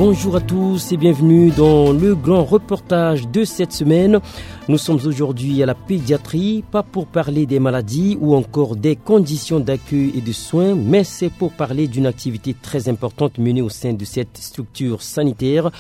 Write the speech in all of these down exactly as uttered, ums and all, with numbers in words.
Bonjour à tous et bienvenue dans le grand reportage de cette semaine. Nous sommes aujourd'hui à la pédiatrie, pas pour parler des maladies ou encore des conditions d'accueil et de soins, mais c'est pour parler d'une activité très importante menée au sein de cette structure sanitaire.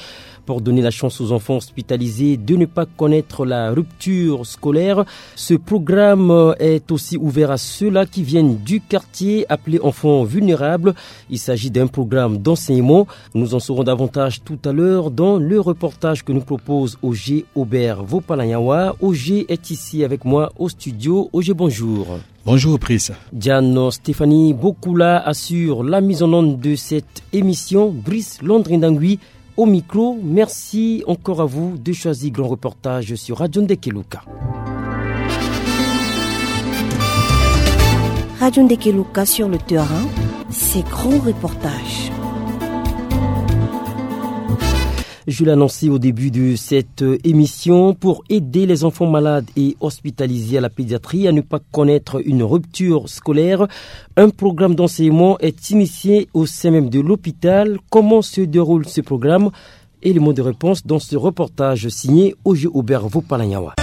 Pour donner la chance aux enfants hospitalisés de ne pas connaître la rupture scolaire, ce programme est aussi ouvert à ceux-là qui viennent du quartier appelé enfants vulnérables. Il s'agit d'un programme d'enseignement. Nous en saurons davantage tout à l'heure dans le reportage que nous propose Ogé Aubert Vopalanyawa. Ogé est ici avec moi au studio. Ogé, bonjour. Bonjour, Pris. Diane Stéphanie Bokula assure la mise en onde de cette émission. Brice Londrindangui au micro. Merci encore à vous de choisir Grand Reportage sur Radio Ndekeluka. Radio Ndekeluka sur le terrain, c'est Grand Reportage. Je l'annonçais au début de cette émission, pour aider les enfants malades et hospitalisés à la pédiatrie à ne pas connaître une rupture scolaire, un programme d'enseignement est initié au sein même de l'hôpital. Comment se déroule ce programme ? Élément de réponse dans ce reportage signé Ogé Aubert Vopalanyawa.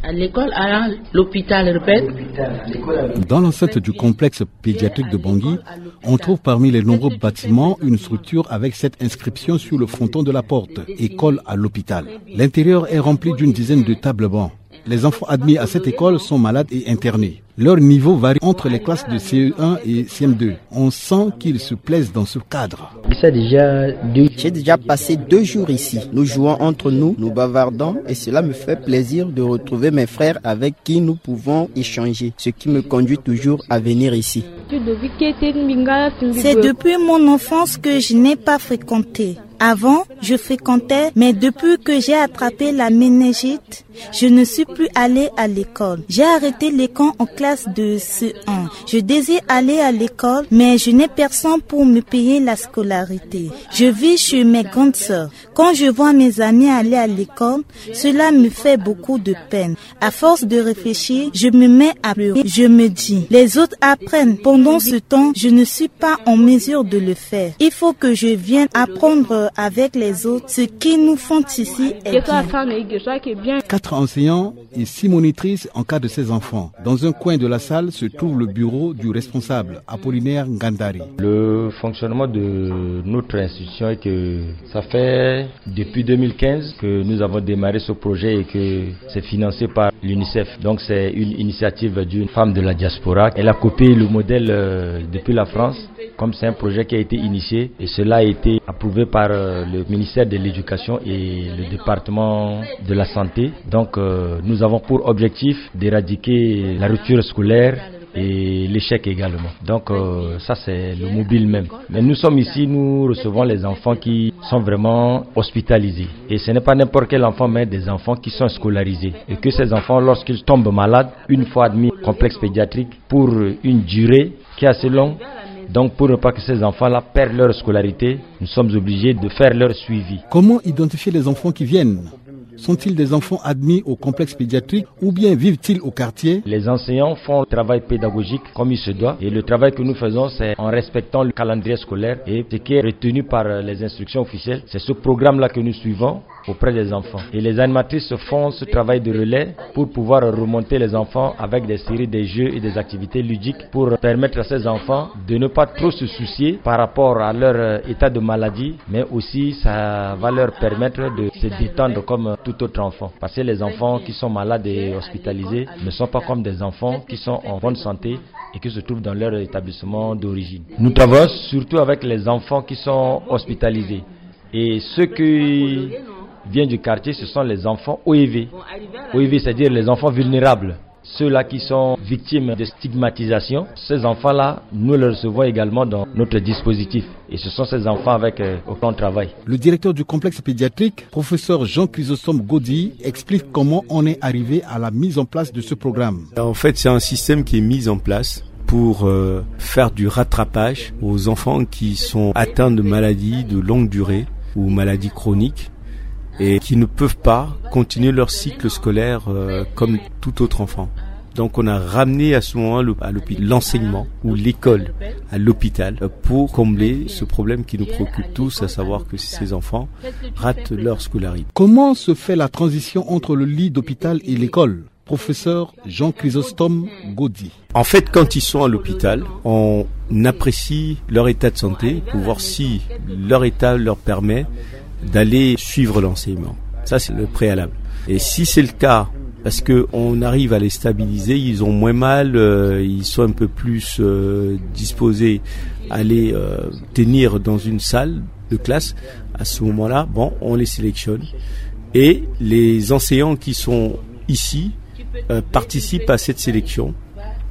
À l'école, à l'hôpital, répète. Dans l'enceinte du complexe pédiatrique de Bangui, on trouve parmi les nombreux bâtiments une structure avec cette inscription sur le fronton de la porte : école à l'hôpital. L'intérieur est rempli d'une dizaine de tables-bancs. Les enfants admis à cette école sont malades et internés. Leur niveau varie entre les classes de C E un et C M deux. On sent qu'ils se plaisent dans ce cadre. J'ai déjà passé deux jours ici. Nous jouons entre nous, nous bavardons et cela me fait plaisir de retrouver mes frères avec qui nous pouvons échanger, ce qui me conduit toujours à venir ici. C'est depuis mon enfance que je n'ai pas fréquenté. Avant, je fréquentais, mais depuis que j'ai attrapé la méningite, je ne suis plus allée à l'école. J'ai arrêté les camps en classe de C E un. Je désire aller à l'école, mais je n'ai personne pour me payer la scolarité. Je vis chez mes grandes sœurs. Quand je vois mes amis aller à l'école, cela me fait beaucoup de peine. À force de réfléchir, je me mets à pleurer. Je me dis, les autres apprennent. Pendant ce temps, je ne suis pas en mesure de le faire. Il faut que je vienne apprendre avec les autres. Ce qui nous font ici est bien. Quatre enseignants et six monitrices encadrent ces enfants. Dans un coin de la salle se trouve le bureau du responsable, Apollinaire Ngandari. Le fonctionnement de notre institution est que ça fait depuis deux mille quinze que nous avons démarré ce projet et que c'est financé par l'UNICEF. Donc c'est une initiative d'une femme de la diaspora. Elle a copié le modèle, euh, depuis la France, comme c'est un projet qui a été initié et cela a été approuvé par, euh, le ministère de l'Éducation et le département de la Santé. Donc, euh, nous avons pour objectif d'éradiquer la rupture scolaire et l'échec également. Donc, euh, ça c'est le mobile même. Mais nous sommes ici, nous recevons les enfants qui sont vraiment hospitalisés. Et ce n'est pas n'importe quel enfant, mais des enfants qui sont scolarisés. Et que ces enfants, lorsqu'ils tombent malades, une fois admis au complexe pédiatrique pour une durée qui est assez longue, donc pour ne pas que ces enfants-là perdent leur scolarité, nous sommes obligés de faire leur suivi. Comment identifier les enfants qui viennent ? Sont-ils des enfants admis au complexe pédiatrique ou bien vivent-ils au quartier ? Les enseignants font un travail pédagogique comme il se doit et le travail que nous faisons, c'est en respectant le calendrier scolaire et ce qui est retenu par, euh, les instructions officielles. C'est ce programme-là que nous suivons auprès des enfants. Et les animatrices font ce travail de relais pour pouvoir remonter les enfants avec des séries de jeux et des activités ludiques pour permettre à ces enfants de ne pas trop se soucier par rapport à leur, euh, état de maladie, mais aussi ça va leur permettre de se détendre comme tout autre enfant. Parce que les enfants qui sont malades et hospitalisés ne sont pas comme des enfants qui sont en bonne santé et qui se trouvent dans leur établissement d'origine. Nous travaillons surtout avec les enfants qui sont hospitalisés. Et ceux qui viennent du quartier, ce sont les enfants O E V. O E V, c'est-à-dire les enfants vulnérables. Ceux-là qui sont victimes de stigmatisation, ces enfants-là, nous les recevons également dans notre dispositif. Et ce sont ces enfants avec, euh, auxquels on travaille. Le directeur du complexe pédiatrique, professeur Jean-Chrysostome Godi, explique comment on est arrivé à la mise en place de ce programme. En fait, c'est un système qui est mis en place pour, euh, faire du rattrapage aux enfants qui sont atteints de maladies de longue durée ou maladies chroniques et qui ne peuvent pas continuer leur cycle scolaire, euh, comme tout autre enfant. Donc on a ramené à ce moment-là à l'hôpital, l'enseignement ou l'école à l'hôpital, euh, pour combler ce problème qui nous préoccupe tous, à savoir que ces enfants ratent leur scolarité. Comment se fait la transition entre le lit d'hôpital et l'école ? Professeur Jean-Chrysostome Godi. En fait, quand ils sont à l'hôpital, on apprécie leur état de santé pour voir si leur état leur permet d'aller suivre l'enseignement. Ça, c'est le préalable. Et si c'est le cas, parce qu'on arrive à les stabiliser, ils ont moins mal, euh, ils sont un peu plus, euh, disposés à les, euh, tenir dans une salle de classe, à ce moment-là, bon, on les sélectionne. Et les enseignants qui sont ici, euh, participent à cette sélection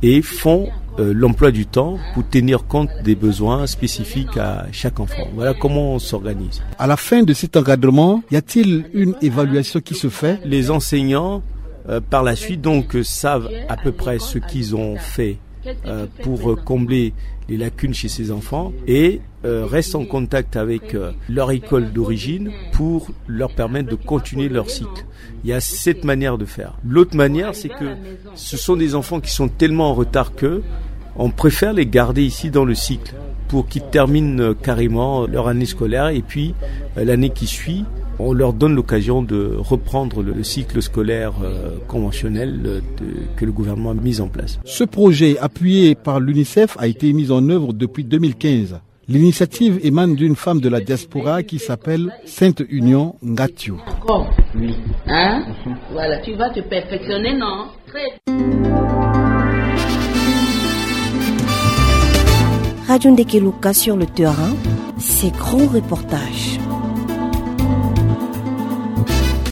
et font, euh, l'emploi du temps pour tenir compte des besoins spécifiques à chaque enfant. Voilà comment on s'organise. À la fin de cet encadrement, y a-t-il une évaluation qui se fait ? Les enseignants, euh, par la suite, donc, euh, savent à peu près ce qu'ils ont fait, euh, pour, euh, combler les lacunes chez ces enfants et, euh, restent en contact avec, euh, leur école d'origine pour leur permettre de continuer leur cycle. Il y a cette manière de faire. L'autre manière, c'est que ce sont des enfants qui sont tellement en retard que on préfère les garder ici dans le cycle pour qu'ils terminent, euh, carrément leur année scolaire et puis, euh, l'année qui suit, on leur donne l'occasion de reprendre le, le cycle scolaire, euh, conventionnel, euh, de, que le gouvernement a mis en place. Ce projet, appuyé par l'UNICEF, a été mis en œuvre depuis deux mille quinze. L'initiative émane d'une femme de la diaspora qui s'appelle Sainte Union Ngatio. Encore ? Oui. Hein ? Voilà, tu vas te perfectionner, non ? Très. Radio Ndeke Luka sur le terrain, ses grands reportages.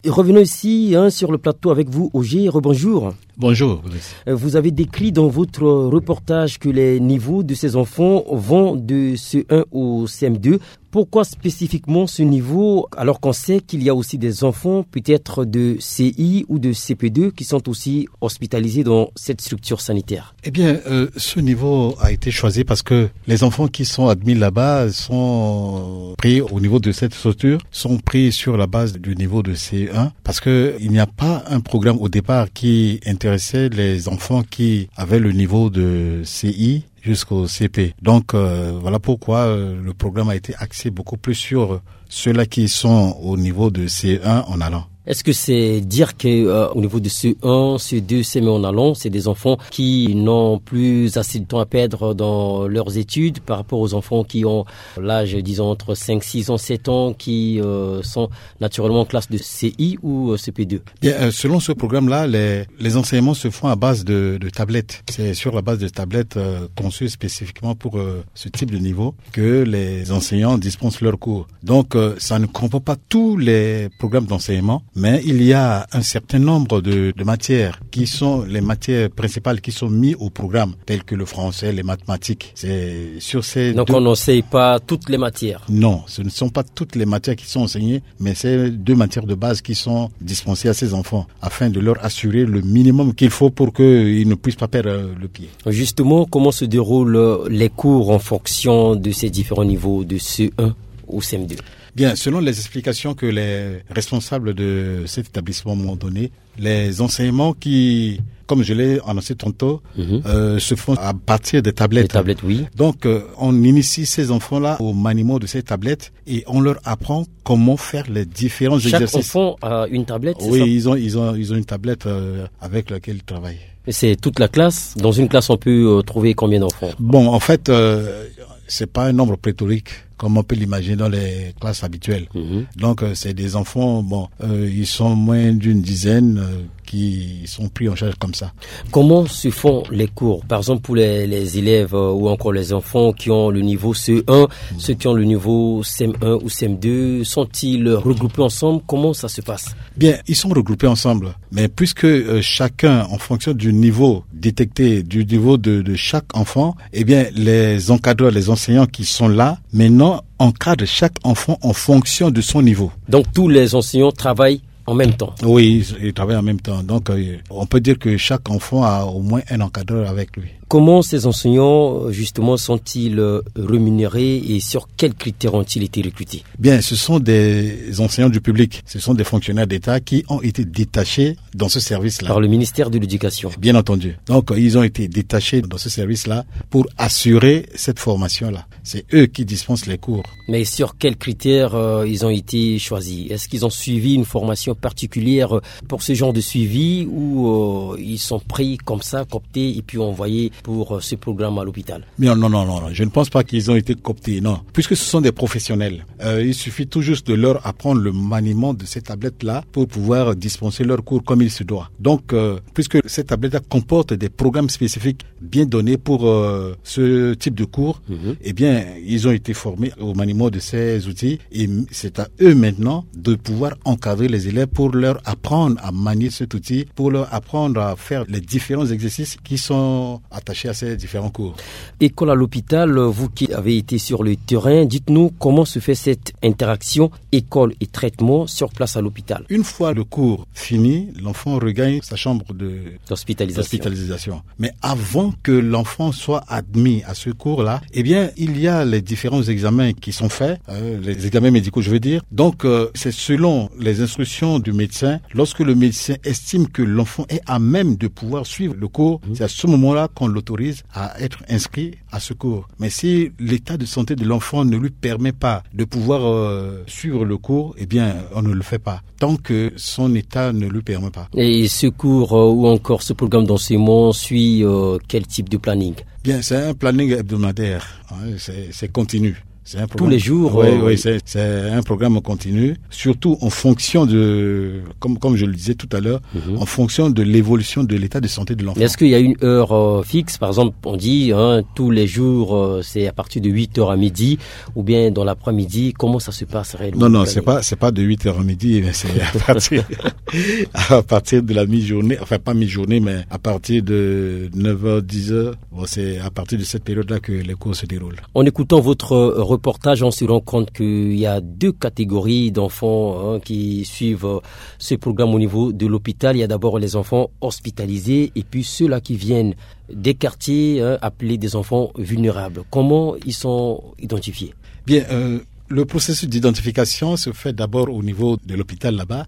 Et revenons ici, hein, sur le plateau avec vous, Oger. Rebonjour. Bonjour, Brice. Euh, vous avez décrit dans votre reportage que les niveaux de ces enfants vont de C un au C M deux. Pourquoi spécifiquement ce niveau, alors qu'on sait qu'il y a aussi des enfants peut-être de C I ou de C P deux qui sont aussi hospitalisés dans cette structure sanitaire ? Eh bien, euh, ce niveau a été choisi parce que les enfants qui sont admis là-bas sont pris au niveau de cette structure, sont pris sur la base du niveau de C un, parce que il n'y a pas un programme au départ qui intéressait les enfants qui avaient le niveau de C I jusqu'au C P. Donc, euh, voilà pourquoi, euh, le programme a été axé beaucoup plus sur ceux-là qui sont au niveau de C un en allant. Est-ce que c'est dire que, euh, au niveau de C un, C deux, C M un en allant, c'est des enfants qui n'ont plus assez de temps à perdre dans leurs études par rapport aux enfants qui ont l'âge, disons, entre cinq, six ans, sept ans, qui, euh, sont naturellement en classe de C I ou, euh, C P deux ? Bien, euh, selon ce programme-là, les, les enseignements se font à base de, de tablettes. C'est sur la base de tablettes, euh, conçues spécifiquement pour, euh, ce type de niveau que les enseignants dispensent leurs cours. Donc, euh, ça ne comprend pas tous les programmes d'enseignement, mais il y a un certain nombre de, de matières qui sont les matières principales qui sont mises au programme, telles que le français, les mathématiques. C'est sur ces Donc, deux on n'enseigne pas toutes les matières. Non, ce ne sont pas toutes les matières qui sont enseignées, mais c'est deux matières de base qui sont dispensées à ces enfants afin de leur assurer le minimum qu'il faut pour qu'ils ne puissent pas perdre, euh, le pied. Justement, comment se déroulent, euh, les cours en fonction de ces différents niveaux de C un au C M deux ? Bien, selon les explications que les responsables de cet établissement m'ont données, les enseignements qui, comme je l'ai annoncé tantôt, Mhm. euh, se font à partir des tablettes. Les tablettes, oui. Donc, euh, on initie ces enfants-là au maniement de ces tablettes et on leur apprend comment faire les différents Chaque exercices. Enfant a une tablette, c'est Oui, ça ? ils ont, ils ont, ils ont une tablette, euh, avec laquelle ils travaillent. Et c'est toute la classe ? Dans une classe, on peut, euh, trouver combien d'enfants ? Bon, en fait, euh, c'est pas un nombre pléthorique, comme on peut l'imaginer dans les classes habituelles. Mhm. Donc, euh, c'est des enfants, bon, euh, ils sont moins d'une dizaine, euh, qui sont pris en charge comme ça. Comment se font les cours ? Par exemple, pour les, les élèves, euh, ou encore les enfants qui ont le niveau C un, Mhm. ceux qui ont le niveau C M un ou C M deux, sont-ils regroupés ensemble ? Comment ça se passe ? Bien, ils sont regroupés ensemble. Mais puisque, euh, chacun, en fonction du niveau détecté, du niveau de, de chaque enfant, eh bien, les encadreurs, les enseignants qui sont là, maintenant, encadrent chaque enfant en fonction de son niveau. Donc, tous les enseignants travaillent en même temps ? Oui, ils, ils travaillent en même temps. Donc, euh, on peut dire que chaque enfant a au moins un encadreur avec lui. Comment ces enseignants, euh, justement, sont-ils, euh, rémunérés et sur quels critères ont-ils été recrutés ? Bien, ce sont des enseignants du public, ce sont des fonctionnaires d'État qui ont été détachés dans ce service-là. Par le ministère de l'Éducation. Bien entendu. Donc, euh, ils ont été détachés dans ce service-là pour assurer cette formation-là. C'est eux qui dispensent les cours. Mais sur quels critères, euh, ils ont été choisis ? Est-ce qu'ils ont suivi une formation particulière, euh, pour ce genre de suivi ou, euh, ils sont pris comme ça, cooptés et puis envoyés pour, euh, ce programme à l'hôpital ? Non, non, non, non, non. Je ne pense pas qu'ils ont été cooptés, non. Puisque ce sont des professionnels, euh, il suffit tout juste de leur apprendre le maniement de ces tablettes-là pour pouvoir dispenser leurs cours comme il se doit. Donc, euh, puisque ces tablettes-là comportent des programmes spécifiques bien donnés pour, euh, ce type de cours, eh bien, ils ont été formés au maniement de ces outils et m-, c'est à eux maintenant de pouvoir encadrer les élèves pour leur apprendre à manier cet outil, pour leur apprendre à faire les différents exercices qui sont attachés à ces différents cours. École à l'hôpital, vous qui avez été sur le terrain, dites-nous comment se fait cette interaction école et traitement sur place à l'hôpital. Une fois le cours fini, l'enfant regagne sa chambre de D'hospitalisation. d'hospitalisation. Mais avant que l'enfant soit admis à ce cours-là, eh bien, il y a les différents examens qui sont faits, euh, les examens médicaux, je veux dire. Donc, euh, c'est selon les instructions du médecin. Lorsque le médecin estime que l'enfant est à même de pouvoir suivre le cours, c'est à ce moment-là qu'on l'autorise à être inscrit à ce cours. Mais si l'état de santé de l'enfant ne lui permet pas de pouvoir, euh, suivre le cours, eh bien, on ne le fait pas tant que son état ne lui permet pas. Et ce cours, euh, ou encore ce programme d'enseignement suit, euh, quel type de planning ? Bien, c'est un planning hebdomadaire, hein, c'est, c'est continu. C'est un Tous programme les jours, Oui, euh, oui, c'est, c'est un programme continu, surtout en fonction de, comme, comme je le disais tout à l'heure, en fonction de l'évolution de l'état de santé de l'enfant. Est-ce qu'il y a une heure, euh, fixe ? Par exemple, on dit, hein, tous les jours, euh, c'est à partir de huit heures à midi, ou bien dans l'après-midi. Comment ça se passe réellement ? Non, non, c'est pas, c'est pas de huit heures à midi, mais c'est à partir, à partir de la mi-journée, enfin pas mi-journée, mais à partir de neuf heures, dix heures, bon, c'est à partir de cette période-là que les cours se déroulent. En écoutant votre, euh, reportage, on se rend compte qu'il y a deux catégories d'enfants, hein, qui suivent, euh, ce programme au niveau de l'hôpital. Il y a d'abord les enfants hospitalisés et puis ceux-là qui viennent des quartiers, hein, appelés des enfants vulnérables. Comment ils sont identifiés ? Bien, euh, le processus d'identification se fait d'abord au niveau de l'hôpital là-bas.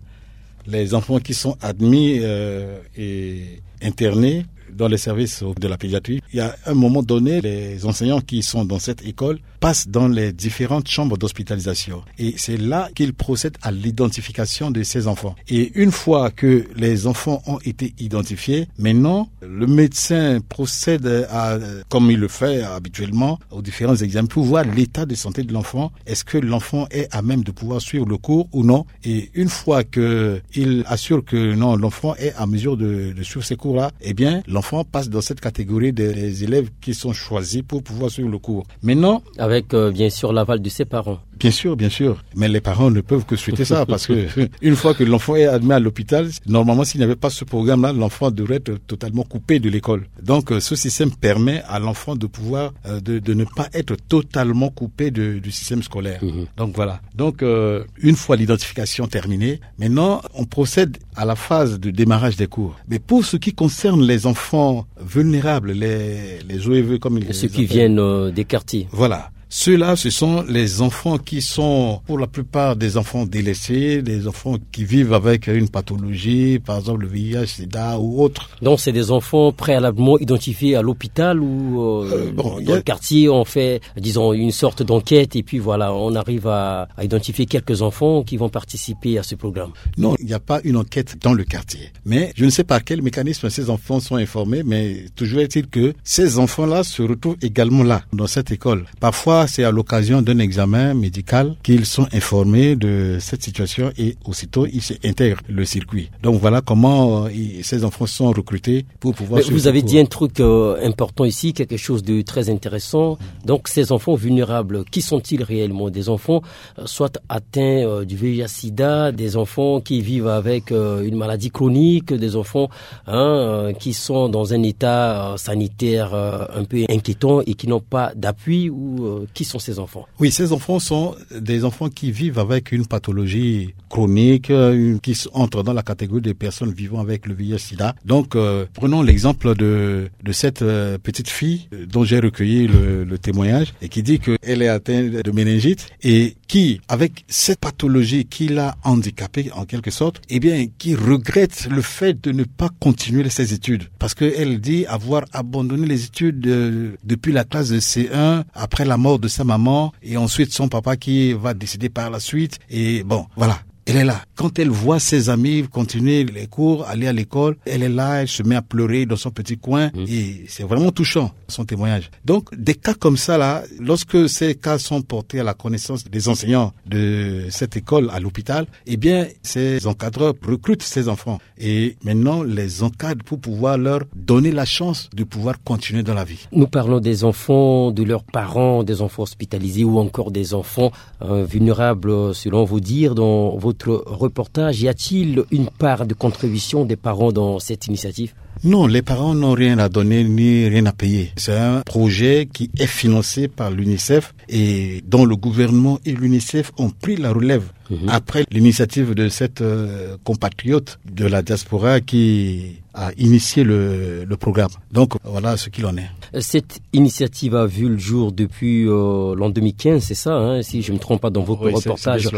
Les enfants qui sont admis, euh, et internés dans les services de la pédiatrie, il y a un moment donné, les enseignants qui sont dans cette école passent dans les différentes chambres d'hospitalisation. Et c'est là qu'ils procèdent à l'identification de ces enfants. Et une fois que les enfants ont été identifiés, maintenant, le médecin procède à, comme il le fait habituellement, aux différents examens pour voir l'état de santé de l'enfant. Est-ce que l'enfant est à même de pouvoir suivre le cours ou non ? Et une fois que il assure que non, l'enfant est à mesure de, de suivre ces cours-là, eh bien, l'enfant passe dans cette catégorie des élèves qui sont choisis pour pouvoir suivre le cours. Maintenant, Avec, euh, bien sûr, l'aval de ses parents. Bien sûr, bien sûr. Mais les parents ne peuvent que souhaiter ça parce que une fois que l'enfant est admis à l'hôpital, normalement, s'il n'y avait pas ce programme-là, l'enfant devrait être totalement coupé de l'école. Donc, euh, ce système permet à l'enfant de pouvoir, euh, de, de ne pas être totalement coupé de, du système scolaire. Donc, voilà. Donc, euh, une fois l'identification terminée, maintenant, on procède à la phase de démarrage des cours. Mais pour ce qui concerne les enfants vulnérables, les, les O E V, comme ils Et ceux qui viennent, euh, des quartiers. Voilà. Ceux-là, ce sont les enfants qui sont, pour la plupart, des enfants délaissés, des enfants qui vivent avec une pathologie, par exemple le V I H, sida ou autre. Donc, c'est des enfants préalablement identifiés à l'hôpital ou, euh, Euh, bon, il y a dans le quartier, on fait, disons, une sorte d'enquête et puis voilà, on arrive à, à identifier quelques enfants qui vont participer à ce programme. Non, il n'y a pas une enquête dans le quartier. Mais je ne sais par quel mécanisme ces enfants sont informés, mais toujours est-il que ces enfants-là se retrouvent également là, dans cette école. Parfois, c'est à l'occasion d'un examen médical qu'ils sont informés de cette situation et aussitôt, ils s'intègrent le circuit. Donc voilà comment, euh, ils- ces enfants sont recrutés pour pouvoir Mais suivre vous ce avez cours. dit un truc, euh, important ici, quelque chose de très intéressant. Donc ces enfants vulnérables, qui sont-ils réellement ? Des enfants, euh, soit atteints, euh, du V I H sida, des enfants qui vivent avec, euh, une maladie chronique, des enfants, hein, euh, qui sont dans un état, euh, sanitaire, euh, un peu inquiétant et qui n'ont pas d'appui ou, euh, Qui sont ces enfants ? Oui, ces enfants sont des enfants qui vivent avec une pathologie chronique, euh, une- qui s- entre dans la catégorie des personnes vivant avec le V I H sida. Donc, euh, prenons l'exemple de, de cette euh, petite fille euh, dont j'ai recueilli le, le témoignage et qui dit qu'elle est atteinte de méningite et qui, avec cette pathologie qui l'a handicapée en quelque sorte, eh bien, qui regrette le fait de ne pas continuer ses études. Parce qu'elle dit avoir abandonné les études euh, depuis la classe de C un après la mort de sa maman et ensuite son papa qui va décéder par la suite. Et bon, voilà. Elle est là. Quand elle voit ses amis continuer les cours, aller à l'école, elle est là, elle se met à pleurer dans son petit coin. Et c'est vraiment touchant, son témoignage. Donc, des cas comme ça, là, lorsque ces cas sont portés à la connaissance des enseignants de cette école à l'hôpital, eh bien, ces encadreurs recrutent ces enfants et maintenant les encadrent pour pouvoir leur donner la chance de pouvoir continuer dans la vie. Nous parlons des enfants, de leurs parents, des enfants hospitalisés ou encore des enfants euh, vulnérables, selon vos dires, dans votre reportage. Y a-t-il une part de contribution des parents dans cette initiative ? Non, les parents n'ont rien à donner ni rien à payer. C'est un projet qui est financé par l'UNICEF et dont le gouvernement et l'UNICEF ont pris la relève après l'initiative de cette euh, compatriote de la diaspora qui a initié le, le programme. Donc voilà ce qu'il en est. Cette initiative a vu le jour depuis euh, l'an deux mille quinze, c'est ça, hein, si je ne me trompe pas dans votre reportage.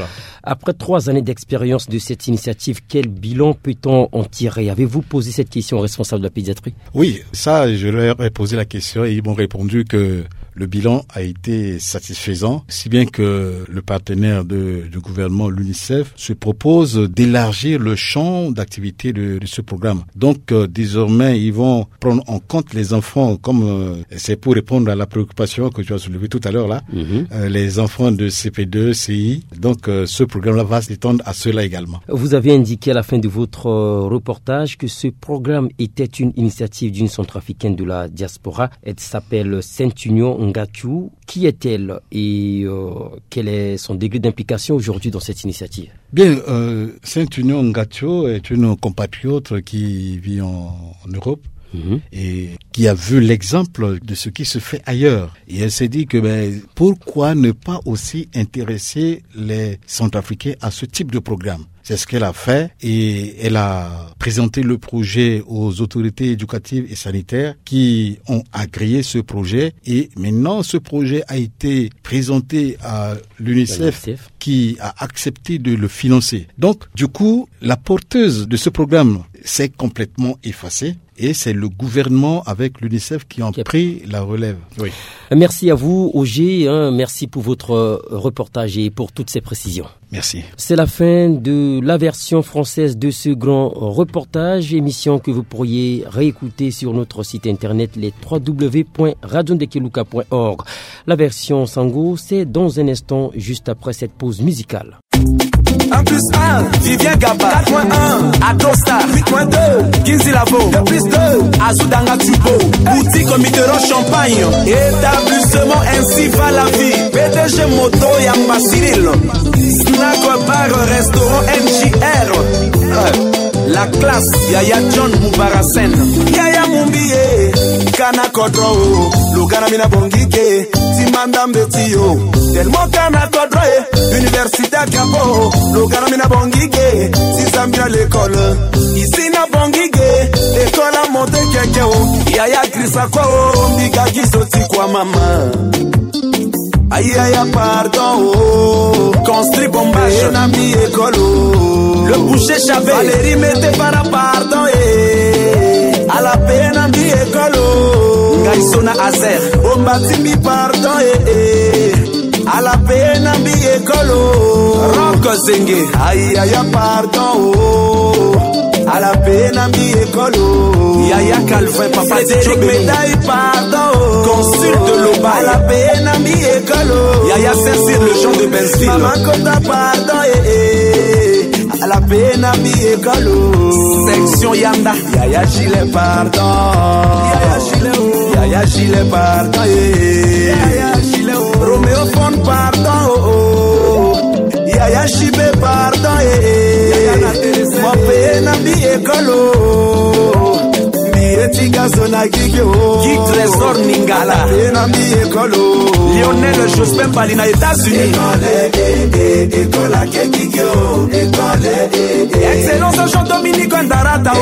Après trois années d'expérience de cette initiative, quel bilan peut-on en tirer ? Avez-vous posé cette question au responsable de la pédiatrie ? Oui, ça, je leur ai posé la question et ils m'ont répondu que le bilan a été satisfaisant, si bien que le partenaire de- du gouvernement, l'UNICEF, se propose d'élargir le champ d'activité de, de ce programme. Donc, euh, désormais, ils vont prendre en compte les enfants, comme euh, c'est pour répondre à la préoccupation que tu as soulevée tout à l'heure, là, euh, les enfants de C P deux, C I. Donc, euh, ce programme-là va s'étendre à ceux-là également. Vous avez indiqué à la fin de votre euh, reportage que ce programme était une initiative d'une centrafricaine de la diaspora. Elle s'appelle Sainte-Union Ngatiou. Qui est-elle et euh, quel est son degré d'implication aujourd'hui dans cette initiative ? Bien, euh, Sainte-Union Ngatiou est une compatriote qui vit en, en Europe et qui a vu l'exemple de ce qui se fait ailleurs. Et elle s'est dit que ben, pourquoi ne pas aussi intéresser les Centrafricains à ce type de programme ? C'est ce qu'elle a fait et elle a présenté le projet aux autorités éducatives et sanitaires qui ont agréé ce projet. Et maintenant, ce projet a été présenté à l'UNICEF qui a accepté de le financer. Donc, du coup, la porteuse de ce programme s'est complètement effacée. Et c'est le gouvernement avec l'UNICEF qui ont pris la relève. Oui. Merci à vous, Oger, hein. Merci pour votre euh, reportage et pour toutes ces précisions. Merci. C'est la fin de la version française de ce grand reportage, émission que vous pourriez réécouter sur notre site internet les trois w point radio ndekeluka point org. La version Sango, c'est dans un instant, juste après cette pause musicale. Un plus un, Vivien Gaba. Quatre point un, Adostar. Huit point deux, Kinzi Lavo. Deux plus deux, Azudanga Tubo. Boutique Mitterrand Champagne. Établissement Ainsi va la vie. P D G Moto ya Basiril. Snack Bar Restaurant M J R. Euh, La classe, Yaya John Mubaracen. Yaya Mumbiye. Kana kodro o, lugana mina bongike. Timanda mbeti yo. Tellement kana kodro e. Université Gabo, lugana mina bongike. Sisa mina l'école. Ici na bongike. L'école a monté quelqu'un o. Yaya Grisako, mbiga giso ti kwa mama. Aïe aïe pardon oh. Construit bombage na mbi école oh. Le boucher Chavé. Valérie mete para pardon eh. Ala pe na mbi école oh. Ngai sona azer. Bomba ti mbi pardon eh eh. Ala pe na mbi école oh. Rock Zenge. Aïe aïe pardon oh. Ala pe na mbi école oh. Yaya Calvin, papa Frédéric Médaille pardon oh. Consul de Loba. Ala pe na mbi école oh. Yaya Saint-Cyr, le Jean de Benzville. Mama Kota pardon eh eh. Ala pe na mbi école oh. Section Yanda. Yaya Gilet pardon. Yaya Gilet oh. Yaya Gilet pardon eh eh. Yaya Gilet oh. Roméo Fon pardon oh oh. Yaya Chibe pardon eh eh. Yaya na Thérèse. Mo pe na mbi école oh. Mbi ye ti ga Guy Trésor Ningala. Lionel Jospin Bali na États-Unis. Excellence Jean Dominique Ndarata o.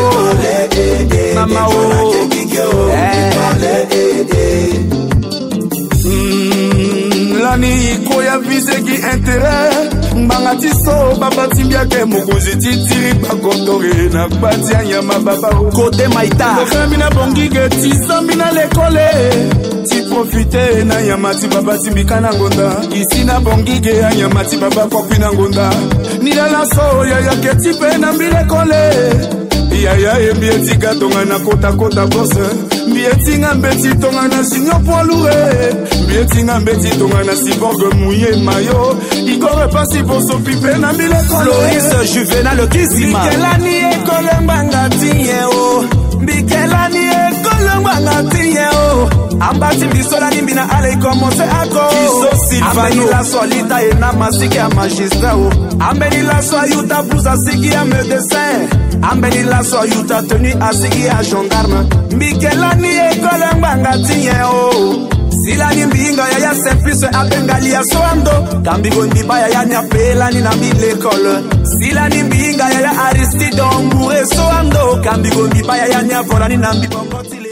Mama o. Lani iko ya viseki intérêt. Ngbanga ti so baba ti mbi ake mokonzi ti tiri bakotore na kpa ti anyama baba o. Kote maita. Ndokambi na bongi ge ti zambi na lekole. Ti profite na nyama ti baba ti mbi ka na ngonda. Isi na bongi ge anyama ti baba kokui na ngonda. Ni lala so yaya ke ti pe na mbi lekole. Yaya e mbi e ti ga tongana kota kota bose. Mbi e ti nga mbeti tongana junior poids lourd. Mbi e ti nga mbeti tongana cyborg mouillé mayo. Igore pasi boso pipe na mbi lekole. Floris Juvenal Kizima. Mbi ke lani ekole ngbanga ti nyen o. Mbi ke lani ekole ngbanga ti nyen o. Amba ti mbi so lani mbi na ala e commencé ako. Iso Silvano. Ambeni laso alita e na masike ya magistrat o. Ambeni laso ayuta blouse asigi ya médecin. Ambeni laso ayuta tenue asigi ya gendarme. Mbi ke lani ekole ngbanga ti nyen o. Si lani mbi hinga yaya Simplice abengali ya so ando. Kambi go mbi ba yaya ni ape lani na mbi lekole. Si lani mbi hinga yaya Aristide Ombouré so ando. Kambi go mbi ba yaya ni avo lani na mbi bongo ti lekole.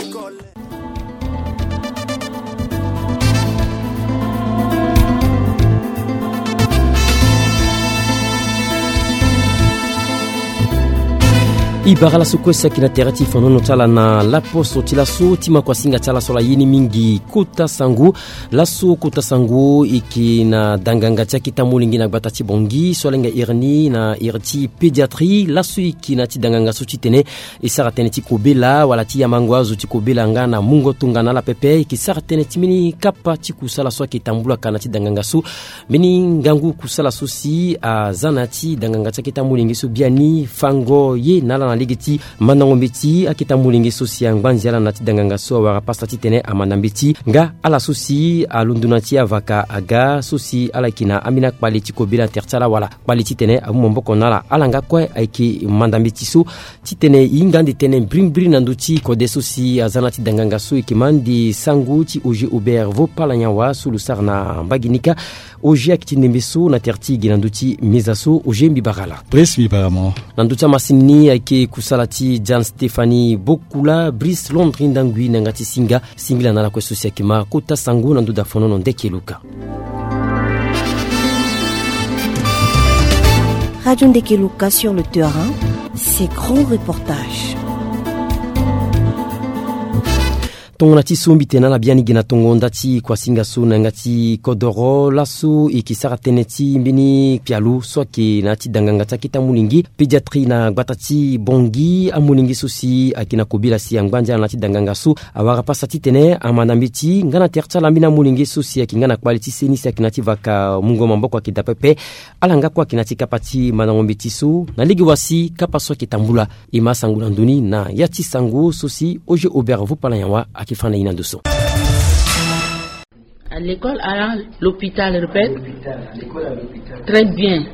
E bara laso kue saki na tere ti fanono ti ala na laposo ti laso ti makuasinga ti ala so ala ye ni mingi kota sango. Laso kota sango e yeke na danganga ti aketa molenge na gbata ti Bangui so alenga iri ni na iri ti pédiatrie. Laso e yeke na ti danganga so titene e sara tënë ti kobela wala ti yamango azo ti kobela nga na mungo tongana ala pepe. E yeke sara tënë ti mbeni kapa ti kusala so ayeke tambula ka na ti danganga so. Mbeni ngangu kusala so si aza na ya ti danganga ti aketa molenge so biani fango ye na ala na lege ti mandango mbeti aketa molenge so si angbanzi ala na ya ti danganga so awara pasa titene amanda mbeti nga ala so si alondo na ti avaka aga so si ala yeke na ambeni akpale ti kobela na tere ti ala wala kpale titene amu maboko na ala. Ala nga kue ayeke manda mbeti so titene e hinga ande tënë mbirimbiri na ndö ti kode so si aza na ya ti danganga so e yeke ma ande sango ti Oger Aubert Vopala Nyawa so lo sara na mbage ni kâ. Oger ayeke ti ndembe so na tere ti e ge na ndö ti meza so. Oger mbi bara ala. Brice mbi bara mo. Na ndö ti amasini ni ayeke kusala ti Jeanne Stéphanie Bokula, Brice Londry Ndangui na yanga ti singa. Singila na ala kue so si ayeke ma kota sango na ndö da fonono ndeke luka. Radio Ndeke Luka sur le terrain, ses grands reportages. Tongana ti so mbi tene na ala biani ge na tongo nda ti kuasinga so na yanga ti kodoro laso e yeke sara tënë ti mbeni pialo so ayeke na ya ti danganga ti aketa molenge pédiatrie na gbata ti Bangui. Amolenge so si ayeke na kobela si angba ndia na ya ti danganga so awara pasa titene amanda mbeti nga na tere ti ala mbeni amolenge so si ayeke nga na kpale ti seni si ayeke na ya ti vaka mungo maboko ayeke daa pepe. Ala nga kue ayeke na ya ti kapa ti mandango mbeti so na lege wa si kapa so ayeke tambula. E ma sango na ndö ni na ya ti sango so si Oger Aubert Vopala Nyawa ayeke fa na e na ndo so. À l'école, à l'hôpital, répète. Très bien.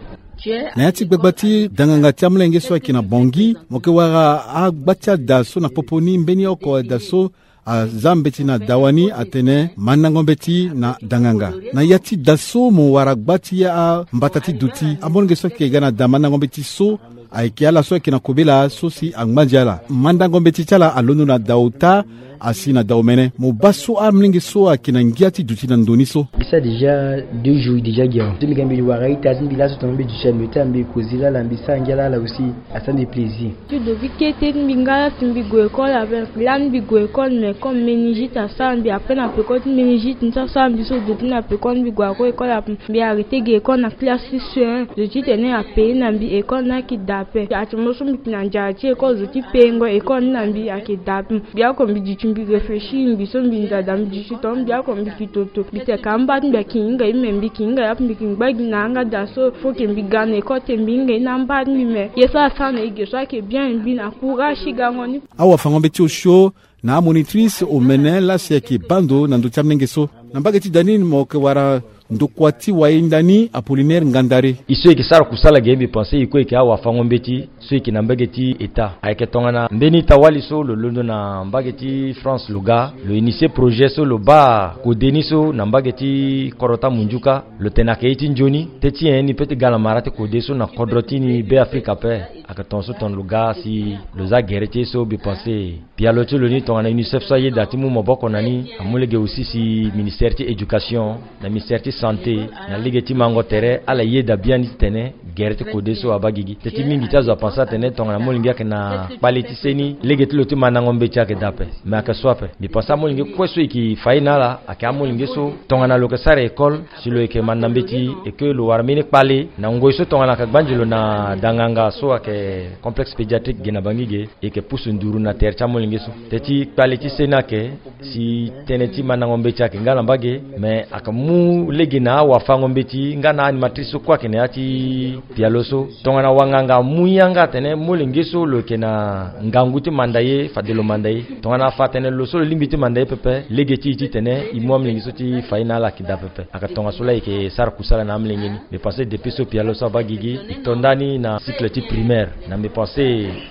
Na ya ti gbagba ti danganga ti amolenge so ayeke na Bangui, mo yeke wara agba ti ada so na popo ni mbeni oko ada so aza mbeti na dawa ni atene mandango mbeti na danganga. Na ya ti da so mo wara gba ti ambata ti duti amolenge so ayeke ga na da mandango mbeti so ayeke ala so ayeke na kobela so si angba ndia ala. Mandango mbeti ti ala alondo na da ota asi na da omene. Mo baa so amolenge so ayeke na ngia ti duti na ndo ni so. Mbi sara déjà deux jours déjà gi awe. So mbi ga mbi wara ita ti mbi laso tongana mbi duti na mbi ota mbi kozi lala mbi sara ngia lala aussi. Asara mbi plaisir. Ti dovi kete ti mbi nga si mbi gue école ape. Lani mbi gue école mais comme méningite asara mbi ape na peko ti méningite ni so asara mbi so dovi na peko ni mbi gue ako école ape. Mbi arrêté ge école na classe six un. Zo ti tene apaye na mbi école ni ayeke daa ape. Atene mo so mbi yeke na nzara ti école zo ti payengo école ni na mbi ayeke daa ape. Mbi oko mbi duti mbi réfléchir mbi so mbi nzara daa mbi duti tonga mbi oko mbi yeke toto. Mbi tene ka amba ti mbi ayeke hinga ye me mbi yeke hinga ye ape mbi yeke ngba gi na yanga daa so. Faut que mbi ga na école te mbi hinga ye na amba ti mbi me. Ye so asara na e ge so ayeke bien mbi na courage ti gango ni. Awafango mbeti osio na amonitrice omene lasi ayeke baa ndo na ndö ti amolenge so. Na mbage ti da ni mo yeke wara Ndokua ti wayenda ni Apollinaire Ngandare. E so e yeke sara kusala ge, mbi pense e kue e yeke awafango-mbeti so e yeke na mbage ti État. Ayeke tongana mbeni ita-wali so lo londo na mbage ti France lo ga, lo initier projet so lo baa kode ni so na mbage ti kodro ti amunjuka. Lo tene ayeke ye ti nzoni teti nyen ni pe ti ga na mara ti kode so na kodro ti ni Be Afrika ape. Ayeke tongaso tongana lo ga si lo za gere ti ye so, mbi pense pialo ti lo ni tongana UNICEF so ayeda ti mu maboko na ni, amu lege aussi si ministère ti éducation na ministère ti santé na lege ti mango tere ala yeda biani titene gere ti kode so abaa gigi. Teti mingi ti azo apense atene tongana molenge ayeke na kpale ti seni, lege ti lo ti mandango mbeti ayeke daa ape. Me ayeke so ape. Mbi pense amolenge kue so e yeke fa ye na ala ayeke amolenge so tongana lo yeke sara école, si lo yeke manda mbeti, e ke lo wara mbeni kpale na ngoi so tongana ayeke gbanzi lo na danganga so ayeke complexe pédiatrique ge na Bangui ge, e yeke pusu nduru na tere ti amolenge so. Teti kpale ti seni ayeke si tënë ti mandango mbeti ayeke nga na mbage, me ayeke mu lege na awafango-mbeti nga na animatrice so kue ayeke na ya ti pialo so. Tongana wanganga amu yanga atene molenge so lo yeke na ngangu ti manda ye, fade lo manda ye. Tongana afa atene lo so lo lingbi ti manda ye pepe, lege ti e titene e mu amolenge so ti fa ye na ala ayeke daa pepe. Ayeke tongaso laa e yeke sara kusala na amolenge ni. Mbi pense depuis so pialo so abaa gigi, e to ndani na cycle ti primaire. Na mbi pense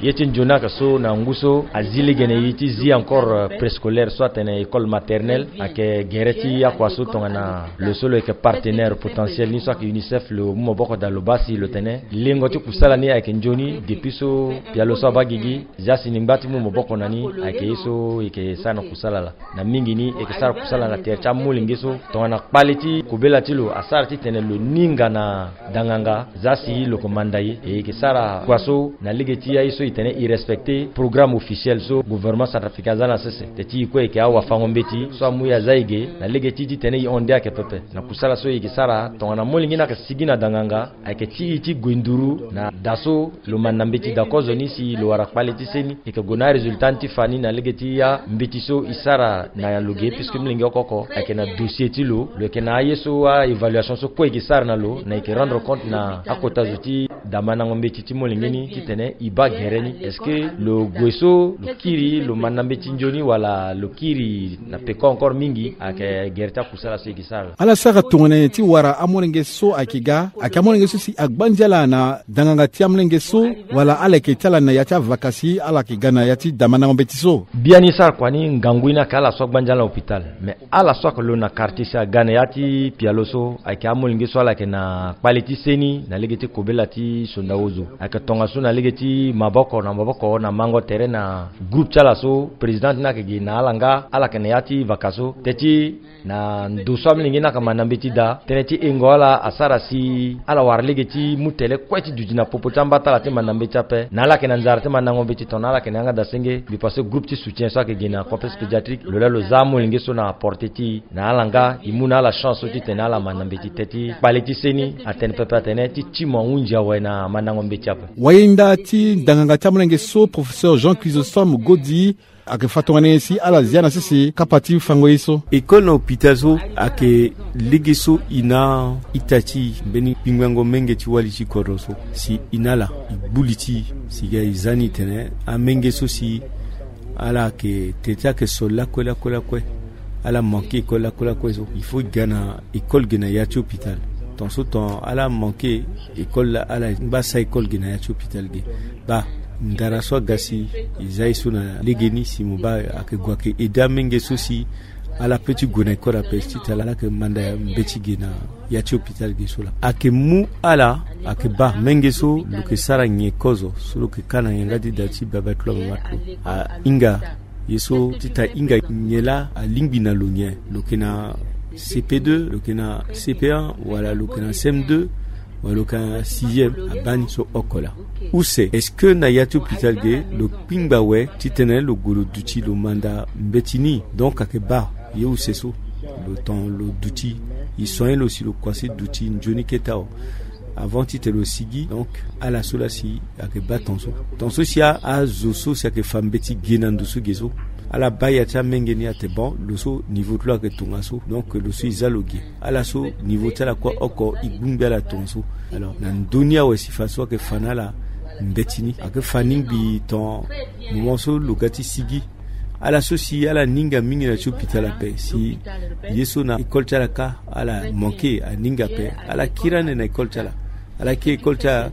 ye ti nzoni ayeke so na ngu so azi lege na e ti zi encore, euh, préscolaire so atene école maternelle, ayeke gere ti akua so tongana lo so lo yeke partenaire potentiel ni so ayeke UNICEF, lo mu maboko daa lo baa si lo tene lengo ti kusala ni ayeke nzoni depuis so pialo so abaa gigi. Zia si ni ngba ti mu maboko na ni, ayeke ye so e yeke sara na kusala laa. Na mingi ni e yeke sara kusala na tere ti amolenge so tongana kpale ti kobela ti lo asara titene lo ninga na danganga, zia si lo yeke manda ye. E yeke sara kua so na lege ti aye so e tene e respecter programme officiel so gouvernement centrafricain aza na sese. Teti e kue e yeke awafango-mbeti so amu e aza e ge na lege ti titene e hon nde ayeke pepe na kusala so e yeke sara. Tongana molenge ni ayeke sigi na danganga, ayeke ti e ti gue nduru na da so lo manda mbeti daa kozo ni si lo wara kpale ti seni. E yeke gue na arésultat ni ti fa ni na lege ti ambeti so e sara na lo ge, puisque molenge oko oko ayeke na dossier ti lo. Lo yeke na aye so a-évaluation so kue e yeke sara na lo, na e yeke rendre compte na akota zo ti da mandango mbeti ti molenge ni titene e baa gere ni. Est-ce que lo gue so lo kiri lo manda mbeti nzoni wala lo kiri na peko encore mingi? Ayeke gere ti akusala so e yeke sara. Ala sara tongana nyen ti wara amolenge so ayeke ga, ayeke amolenge so si agbanzi ala na danganga ti amolenge so, wala ala yeke ti ala na ya ti avaka si ala yeke ga na ya ti da mandango mbeti so? Biani sara kua ni ngangu ni ayeke ala so agbanzi ala na hôpital. Mais ala so ayeke lo na quartier si aga na ya ti pialo so ayeke amolenge so ala yeke na kpale ti seni na lege ti kobela ti sonda ozo. Ayeke tongaso na lege ti maboko na maboko na mango tere na groupe ti ala so président ti ni ayeke gi na ala nga, ala yeke na ya ti vaka so. Teti na ndo so amolenge ni ayeke manda mbeti daa, tënë ti hengo ala asara si ala wara lege ti mu tele kue ti duti na popo ti amba ti ala ti manda mbeti ape. Na ala yeke na nzara ti mandango mbeti tongana ala yeke na yanga daa senge, mbi pense groupe ti soutien so ayeke gi na complexe pédiatrique lo laa lo za amolenge so na portée ti e, na ala nga e mu na ala chance so titene ala manda mbeti. Teti kpale ti seni atene pepe atene ti ti mo ahunzi awe na mandango mbeti ape. Wayenda ti ndanganga ti amolenge so, professeur Jean Chrysostome Godi, ayeke fa tongana nyen si ala zia na sese kapa ti fango ye so? École na hôpital so ayeke lege so e na ita ti e mbeni kpingbango menge ti wali ti kodro so si e na ala e gbu li ti e si ga e za ni tene amenge so si ala yeke tene ti ayeke so lakue lakue lakue. Ala manke école lakue lakue so, il faut e ga na école ge na ya ti hôpital. Tongaso tongana ala manke école laa ala ngba sara école ge na ya ti hôpital ge. Baa ndara so aga si e za ye so na legeni si mo baa ayeke gue ayeke aidé amenge so si ala pe ti gue na école ape titene ala yeke manda mbeti ge na ya ti hôpital ge so laa. Ayeke mu ala ayeke baa menge so lo yeke sara nyen kozo so lo yeke ka na yanga ti da ti baba ti lo amama ti lo ahinga ye so titene ahinga nyen laa alingbi na lo nyen. Lo yeke na C P deux, lo yeke na C P un, wala lo yeke na C M deux, wala lo yeke na sixième, abaa ni so oko laa. Use est-ce que na ya ti hôpital ge lo kpingba awe titene lo gue lo duti lo manda mbeti ni? Donc ayeke baa ye use so lo ton lo duti, e soigner lo si lo kua si duti nzoni kete awe. Avant titene lo sigi, donc ala so laa si ayeke baa tongaso. Tongaso si a, azo so si ayeke fa mbeti ge na ndo so ge so, ala baa ya ti amenge ni atene bon, lo so niveau ti lo ayeke tongaso, donc lo so e za lo ge. Ala so niveau ti ala kue oko e gbungbi ala tongaso. Alors na ndö ni awe si fadeso ayeke fa na ala mbeti ni. Ayeke fa ni ngbii ton moment so lo ga ti sigi. Ala so si ala ninga mingi na ti hôpital ape si ye so na école ti ala kâ ala manke aninga ape. Ala kiri ande na école ti ala. Ala kiri école ti ala.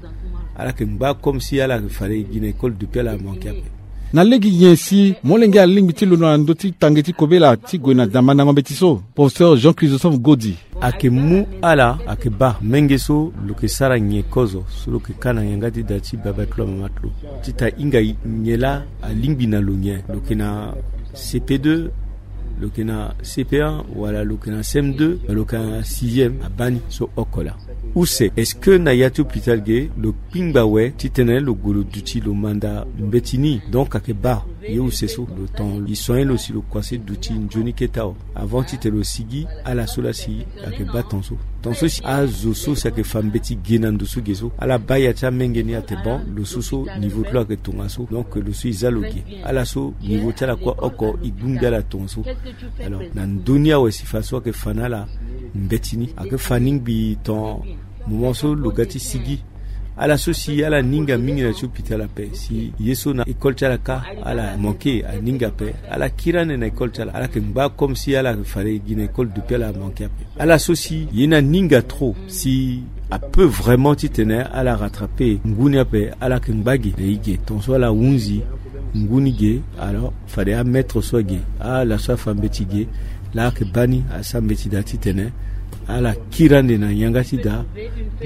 Ala yeke ngba comme si ala yeke fade gi na école depuis ala manke ape. Na lege nyen si molenge alingbi ti londo na ndö ti tange ti kobela ti gue na da mandango mbeti so? Professeur Jean Chrysostome Godi. Ayeke mu ala ayeke baa menge so lo yeke sara nyen kozo so lo yeke kâ na yanga ti da ti baba ti lo amama ti lo, ti ta hinga nyen laa alingbi na lo nyen. Lo yeke na C P deux, lo yeke na C P un, wala lo yeke na C M deux, lo yeke na sixième, abaa ni so oko laa. Use est-ce que na ya ti hôpital ge lo kpingba awe titene lo gue lo duti lo manda mbeti ni? Donc ayeke baa ye use so lo ton e soigner lo si lo kua se duti nzoni kete awe. Avant titene lo sigi, ala so laa si ayeke baa ton so. Ton so si azo so si ayeke fa mbeti ge na ndo so ge so, ala baa ya ti amenge ni atene bon, lo so so niveau ti lo ayeke tongaso, donc lo so e za lo ge. Ala so niveau ti ala kue oko e gbu ngbi ala tongaso. Alors na ndö ni awe si fa so ayeke fa na ala mbeti ni ayeke fa ni ngbii ton moment so lo ga ti sigi. Ala so si ala ninga mingi na ti hôpital ape si ye so na école ti ala kâ ala manke aninga ape. Ala kiri ande na école ti ala. Ala yeke ngba comme si ala yeke fade gi na école depuis ala manke ape. Ala so si ye ni aninga trop si apeut vraiment titene ala rattraper ngu ni ape, ala yeke ngba ge na e ge. Ton so ala hunzi ngu ni ge, alors fade amaître so age, ala so afa mbeti ge laa ayeke baa ni asara mbeti daa titene ala kiri ande na yanga ti da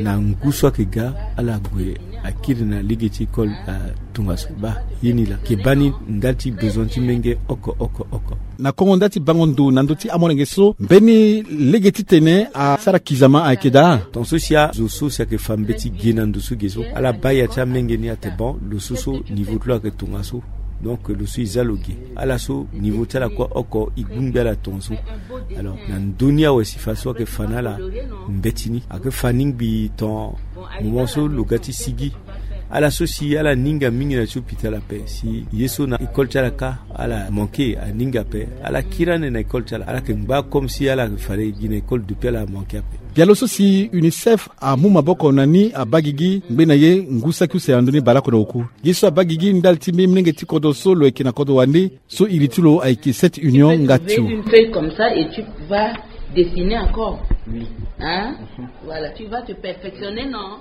na ngu so ayeke ga, ala gue akiri na lege ti école atongaso. Baa ye ni laa ayeke baa ni ndali ti besoin ti menge oko oko oko. Na kongo nda ti bango ndo na ndö ti amolenge so, mbeni lege titene asara kizama ayeke daa. Ton so si azo so si ayeke fa mbeti ge na ndo so ge so, ala baa ya ti amenge ni atene bon, lo so so niveau ti lo ayeke tongaso. Donc lo so e za lo ge. Ala so niveau ti ala kue oko e gbu ngbi ala tongaso. Alors na ndö ni awe si fa so ayeke fa na ala mbeti ni ayeke fa ni ngbii ton moment so lo ga ti sigi. Ala so si ala ninga mingi na ti hôpital ape si ye so na école ti ala kâ ala manke aninga ape. Ala kiri ande na école ti ala. Ala yeke ngba comme si ala yeke fade gi na école depuis ala manke ape. Bialo so si UNICEF amu maboko na ni abaa gigi ngbe na ye ngu saki use na ndö ni baleoko na oku. Ye so abaa gigi ndali ti mbi molenge ti kodro so lo yeke na kodro wande so iri ti lo ayeke Cette Union Ngatiou. Tu peux trouver une feuille comme ça et tu vas dessiner encore. Oui. Hein? Voilà, tu vas te perfectionner, non?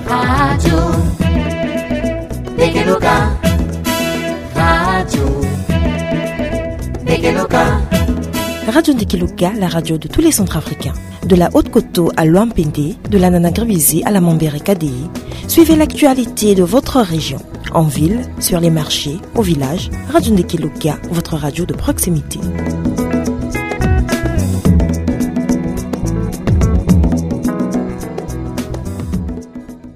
Radio Bekeloka. Radio Bekeloka. Radio Ndekeloka, la radio de tous les Centrafricains. De la Haute-Koto à Loampende, de la Nanagribizé à la Mambere Kadéi, suivez l'actualité de votre région. En ville, sur les marchés, au village, Radio Ndekeloka, votre radio de proximité.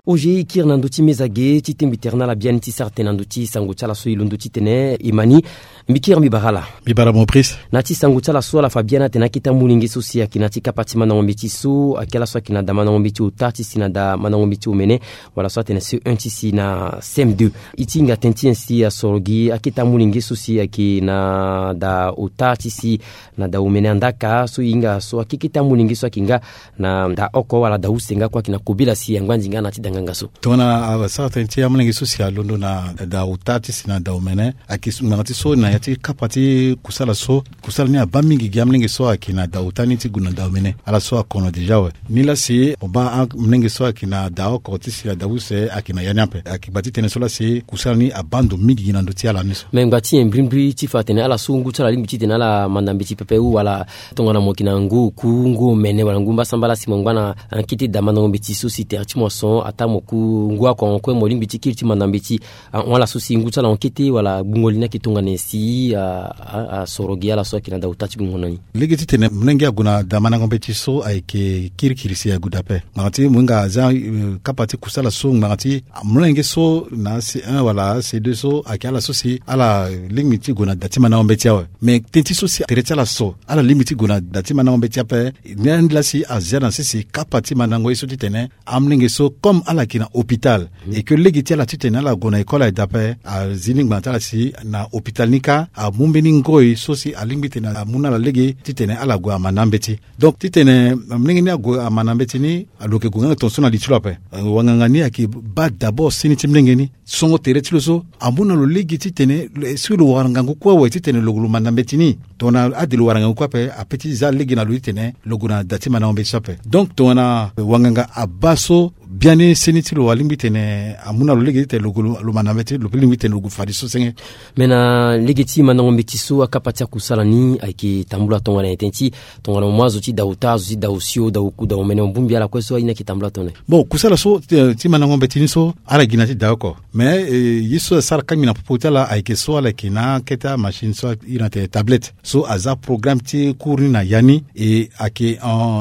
Oje e kiri na ndö ti meza ge ti tengbi tere na ala biani ti sara tene na ndö ti sango ti ala so e londo titene e ma ni. Mbi kiri mbi bara ala. Mbi bara Maurice. Na ti sango ti ala so ala fa biani atene akete amolenge so si ayeke na ti kapa ti mandango mbeti so ayeke ala so ayeke na da mandango mbeti ota ti si na da mandango mbeti omene, wala so atene C un ti si na C M deux. E ti hinga tene ti nyen si asoro gi akete amolenge so si ayeke na da ota ti si na da omene, andaka so e hinga so akekete amolenge so ayeke nga na da oko wala da use nga kue ayeke na kobela si angbandi nga na ti da nganga so. Tongana asara tënë ti amolenge so si alondo na da ota ti si na da omene, ayeke ngbanga ti so na ya ti kapa ti kusala so, kusala ni abaa mingi gi amolenge so ayeke na da ota ni ti gue na da omene. Ala so akono déjà awe. Nilaa si mo baa amolenge so ayeke na da oko ti si na da use ayeke na ya ni ape. Ayeke gba ti tene so laa si kusala ni abaa ndo mingi gi na ndö ti ala ni so. Me ngba ti nyen mbirimbiri ti fa atene ala so ngu ti ala alingbi titene ala manda mbeti pepe ou wala tongana mo yeke na ngu oku, ngu omene wala ngu mbasambala si mo ngba na, ah, kete da mandango mbeti so si tere ti mo ason ataa mo ku ngu akongo kue mo lingbi ti kiri ti manda mbeti, ah, ahon ala so si ngu ti ala ahon kete wala gbungo li ni ayeke tongana nyen si, ah, ah, asoro gi ala so ayeke na da ota ti gbungo na ni. Lege titene molenge ague na da mandango mbeti so ayeke kirikiri si ague daa ape. Ngbanga ti mo hinga aza, eh, kapa ti kusala so ngbanga ti molenge so na C un wala C deux so ayeke ala so si ala lingbi ti gue na da ti mandango mbeti awe. Me tënë ti so si tere ti ala so ala lingbi ti gue na da ti mandango mbeti ape, ni andi laa si azia na sese kapa ti mandango ye so titene amolenge so comme ala yeke na hôpital. Eke lege ti ala titene ala gue na école aye daa ape, azi ni ngbanga ti ala si na hôpital ni kâ amu mbeni ngoi so si alingbi titene amu na ala lege titene ala gue amanda mbeti. Donc titene molenge ni ague amanda mbeti ni, lo yeke gue nga tongaso na li ti lo ape. Wanganga ni ayeke baa d'abord seni ti molenge ni, songo tere ti lo so amu na lo lege titene si lo wara ngangu kue awe titene lo gue lo manda mbeti ni. Tongana ade lo wara ngangu kue ape, ape ti za lege na lo titene lo gue na da ti mandango mbeti so ape. Donc tongana wanganga abaa so biani seni ti lo alingbi titene amu na lo lege titene lo gue lo manda mbeti, lo pe lingbi titene lo gue fadeso senge. Me na lege ti mandango mbeti so akapa ti akusala ni ayeke tambula tongana na tënë ti tongana mo mu azo ti da ota, azo ti da osio, da oku, da omene, mo bongbi ala kue so aye ni ayeke tambula tongana. Bon, kusala so ti mandango mbeti ni so ala gi na ti da oko. Mais ye so asara kangbi na popo ti ala ayeke so ala yeke na akete amachine so iri na tene tablette so aza programme ti cours ni na ya ni. E ayeke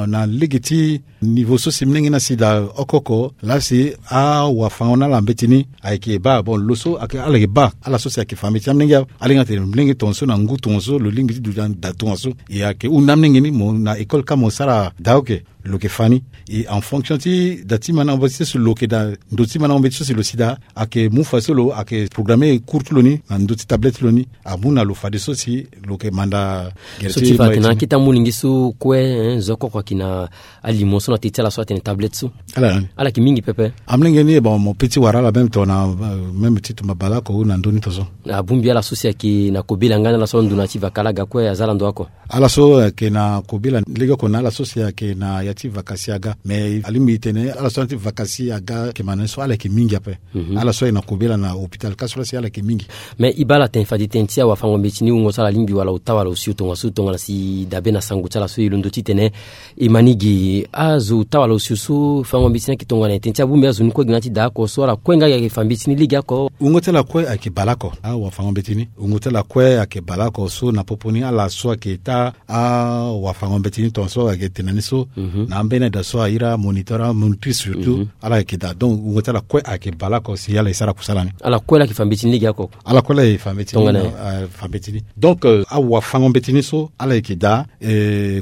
na lege ti niveau so si molenge ni asi daa oko oko laa si awafango na ala mbeti ni ayeke baa. Bon, lo so ala yeke baa ala so si ayeke fa mbeti na molenge, ala hinga tene molenge tongaso na ngu tongaso lo lingbi ti duti na da tongaso. E ayeke hunda molenge ni mo na école kâ mo sara daa oke. Lo yeke fa ni. E en fonction ti da ti mandango mbeti so si lo yeke daa, ndo ti mandango mbeti so si lo si daa, ayeke mu fa so lo ayeke programme cours ti lo ni na ndo ti tablette ti lo ni. Amu na lo fadeso si lo yeke manda gere so ti ti fa tene akete amolenge so kue, zo oko oko ayeke na alimo so na te ti ala so atene tablette so. Ala yeke mingi pepe. Amolenge ni, bon, mo pe ti wara ala même tongana même ti tumba baleoko ou na ndö ni tongaso. Abongbi ala so si ayeke na kobela nga na ala so ando na ya ti vaka laa aga kue aza ala ndo oko. Ala so ayeke na kobela legeoko na ala so si ayeke na ya ti vaka si aga. Mais alingbi tene ala so na ya ti vaka si aga ayeke ma na ni so ala yeke mingi ape. Ala so ayeke na kobela na hôpital kâ so laa si ala yeke mingi. Mais e baa ala tene fade tënë ti awafango mbeti ni wungo so ala lingbi wala ota wala osio tongaso tongana si dabe na sango ti ala so e londo titene e ma ni ge. Azo ota wala osio so fango mbeti ni ayeke tongana na tënë ti abongbi azo ni kue gi na ya ti da oko so ala kue nga ayeke fa mbeti ni legeoko. Wungo ti ala kue ayeke baleoko. Awafango mbeti ni wungo ti ala kue ayeke baleoko so na popo ni ala so ayeke taa awafango mbeti ni tongaso ayeke tene na ni so na ambeni daa so airi amoniteur amonitrice surtout ala yeke daa. Donc wungo ti ala kue ayeke baleoko si ala e sara kusala ni. Ala kue laa ayeke fa mbeti ni legeoko. Ala kue laa e fa mbeti ni tongana. Fa mbeti ni. Donc awafango mbeti ni so ala yeke daa,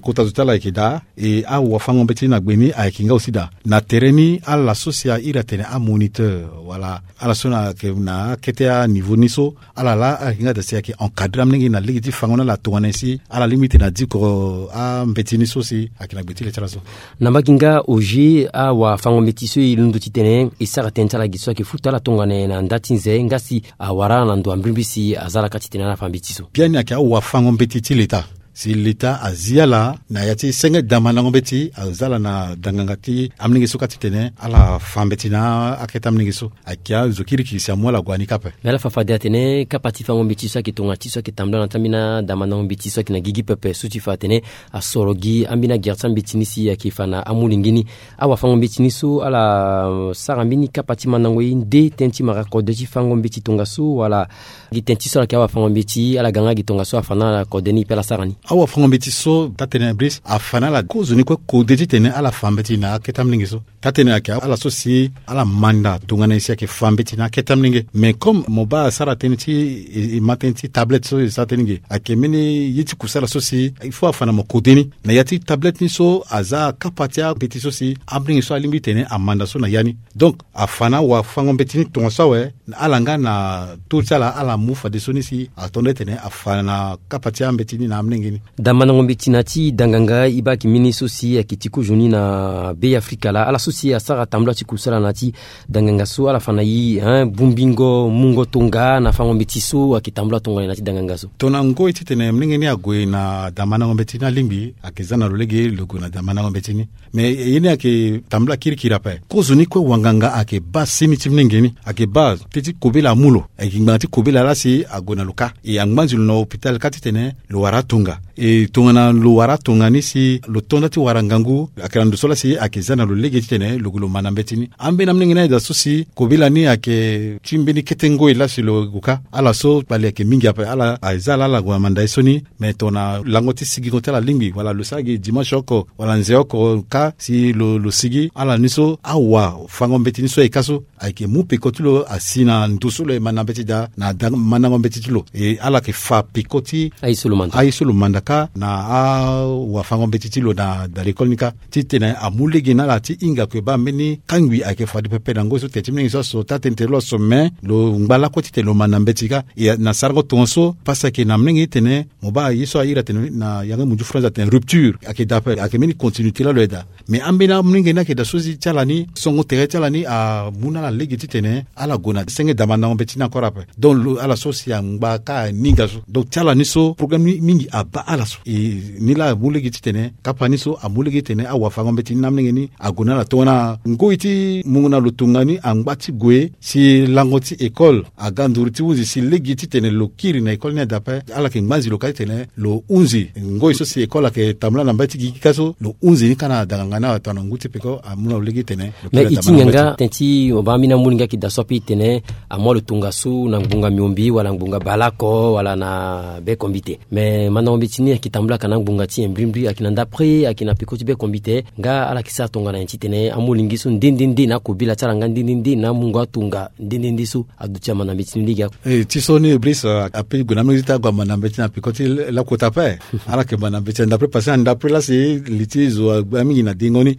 kota zo ti ala yeke daa. E awafango mbeti ni na gbe ni ayeke nga aussi daa na tere ni. Ala so si airi atene amoniteur wala ala so na ayeke na akete aniveau ni so ala laa ala yeke nga daa si ayeke encadrer amolenge na lege ti fango na ala tongana nyen si ala lingbi titene adiko ambeti ni so si ayeke na gbe ti le ti ala so. Na mbage nga Oger awafango mbeti so e londo titene e sara tënë ti ala gi so ayeke futa ala tongana nyen na nda ti nze nga si awara ala na ndo ambirimbiri si aza ala kâ titene ala fa mbeti so. Biani ayeke awafango mbeti ti leta. Si leta azi ala na ya ti senge da mandango mbeti aza ala na danganga ti amolenge so kâ titene ala fa mbeti na akete amolenge so. Ayeke azo kirikiri si amu ala gue na ni kâ ape. Me ala fa fade atene kapa ti fango mbeti so ayeke tongana ti so ayeke tambula na ya ti ambeni ada mandango mbeti so ayeke na gigi pepe so ti fa atene asoro gi ambeni agere ti ambeti ni si ayeke fa na amolenge ni. Awafango mbeti ni so ala sara mbeni kapa ti mandango ye nde tënë ti mara kode ti fango mbeti tongaso wala gi tënë ti so ala yeke awafango mbeti ala ga nga gi tongaso afa na ala kode ni e pe ala sara ni. Awafango mbeti so taa-tënë Brice afa na ala kozoni kue kode titene ala fa mbeti na akete amolenge so. Taa-tënë ayeke ala so si ala manda tongana nyen si ayeke fa mbeti na akete amolenge. Mais comme mo baa asara tënë ti e ma tënë ti tablette so e sara tënë ge ayeke mbeni ye ti kusala so si il faut afa na mo kode ni na ya ti tablette ni so aza kapa ti ambeti so si amolenge so alingbi titene amanda so na ya ni. Donc afa na awafango mbeti ni tongaso awe. Ala nga na taux ti ala ala mu fadeso ni si ato nde tene afa na kapa ti ambeti ni na amolenge ni. Da mandango mbeti na ya ti danganga e baa ayeke mbeni so si ayeke ti kozoni na be Afrika laa ala so si asara tambula ti kusala na ya ti danganga so ala fa na e hein bongbingo mungo tonga na fango mbeti so ayeke tambula tongana nyen na ya ti danganga so. Tongana ngoi titene molenge ni ague na da mandango mbeti ni alingbi ayeke za na lo lege lo gue na da mandango mbeti ni. Mais ye ni ayeke tambula kirikiri ape. Kozoni kue wanganga ayeke baa seni ti molenge ni ayeke baa teti kobela amu lo ayeke ngbanga ti kobela laa si ague na lo kâ. E angbanzi lo na hôpital kâ titene lo wara atonga. E tongana lo wara atonga ni si lo to nda ti wara ngangu ayeke na ndo so laa si ayeke za na lo lege titene lo gue lo ma na mbeti ni. Ambeni amolenge ni aye daa so si kobela ni ayeke ti mbeni kete ngoi laa si lo gue kâ. Ala so kpali ayeke mingi ape ala aza ala ala gue amanda ye so ni. Mais tongana lango ti sigingo ti ala lingbi wala lo sara gi dimanche oko wala nze oko kâ si lo lo sigi ala ni so awafango mbeti ni so aye kâ so ayeke mu peko ti lo asi na ndo so lo ye manda mbeti daa na mandango mbeti ti lo. E ala yeke fa peko ti aye so lo manda. Aye so lo manda. kâ na awafango-mbeti ti lo na da lekole ni kâ, titene amu lege na ala ti hinga kue baa mbeni kangbi ayeke fade pepe na ngoi so tene ti mingi so aso taa tënë tere lo aso me lo ngba lakue titene lo ma na mbeti kâ. E na sarango tongaso pasi ayeke na molenge titene mo baa ye so ahiri atene na yanga munzu France atene rupture ayeke daa ape ayeke mbeni continuité laa lo yeda. Mais ambeni amolenge ni ayeke daa so si ti ala ni songo tere ti ala ni amu na ala lege titene ala gue na senge damandango mbeti ni encore ape. Donc lo ala so si angba kâ aninga so donc ti ala ni so problème ni mingi abaa ala so. E ni laa amu lege titene kapa ni so amu lege titene awafango-mbeti ni na amolenge ni ague na ala tongana ngoi ti mungo na lo tonga ni angba ti gue si lango ti école aga nduru ti hunzi si lege titene lo kiri na école ni adape. Ala yeke ngbanzi lo kâ titene lo hunzi ngoi so si école ayeke tambula na mbage ti gigi kâ so lo hunzi ni kâ na danganga ni awe tongana ngu ti peko amu na lo lege titene lo kiri na danganga ni. Mais e ti ngbanga tënë ti mo baa ambeni amolenge ayeke daa so ape titene amu alo tongaso na ngbonga miombe wala ngbonga baleoko wala na bekombite. Mais mandango mbeti ni ayeke tambula aka na ngbonga ti nyen mbirimbiri? Ayeke na ndapre ayeke na peko ti bekombite nga ala yeke sara tongana nyen titene amolenge so nde nde nde na akobela ti ala nga nde nde nde na amungo atonga nde nde nde so aduti ama na mbeti ni lege ako. E ti so ni Brice ape gue na amolenge ti ague ama na mbeti na peko ti lakota ape. Ala yeke ma na mbeti na ndapre parce que na ndapre laa si li ti zo agba mingi na dengo ni.